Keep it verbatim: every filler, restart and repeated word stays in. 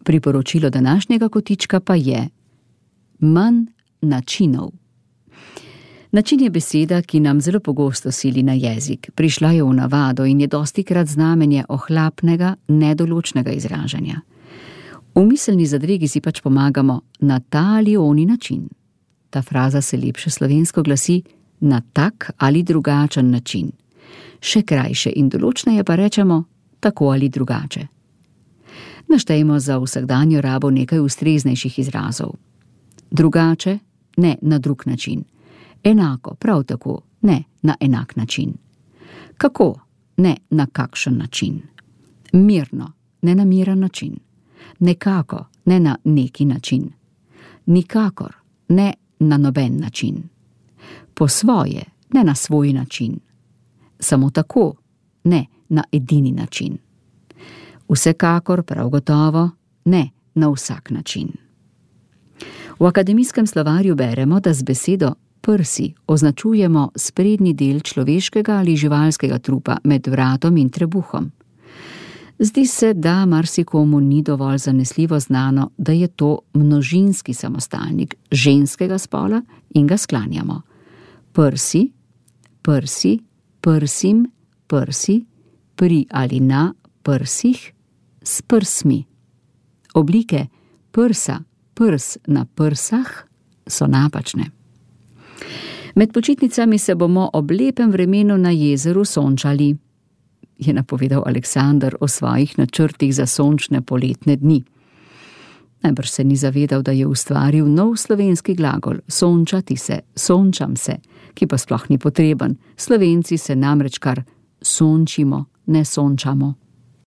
Priporočilo današnjega kotička pa je manj načinov. Način je beseda, ki nam zelo pogosto sili na jezik. Prišla je v navado in je dostikrat znamenje ohlapnega, nedoločnega izražanja. V miselni zadregi si pač pomagamo na ta ali oni način. Ta fraza se lepše slovensko glasi na tak ali drugačen način. Še krajše in določneje pa rečemo tako ali drugače. Naštejmo za vsakdanjo rabo nekaj ustreznejših izrazov. Drugače, ne na drug način. Enako, prav tako, ne na enak način. Kako, ne na kakšen način. Mirno, ne na miren način. Nekako, ne na neki način. Nikakor, ne na noben način. Po svoje, ne na svoj način. Samo tako, ne na edini način. Vsekakor, prav gotovo, ne na vsak način. V akademijskem slovarju beremo, da z besedo prsi označujemo sprednji del človeškega ali živalskega trupa med vratom in trebuhom. Zdi se, da marsikomu ni dovolj zanesljivo znano, da je to množinski samostalnik ženskega spola in ga sklanjamo. Prsi, prsi, prsim, prsi, pri ali na prsih, s prsmi. Oblike prsa, prs na prsah so napačne. Med počitnicami se bomo ob lepem vremenu na jezeru sončali, je napovedal Aleksander o svojih načrtih za sončne poletne dni. Najbrž se ni zavedal, da je ustvaril nov slovenski glagol sončati se, sončam se, ki pa sploh ni potreben. Slovenci se namreč kar sončimo, ne sončamo.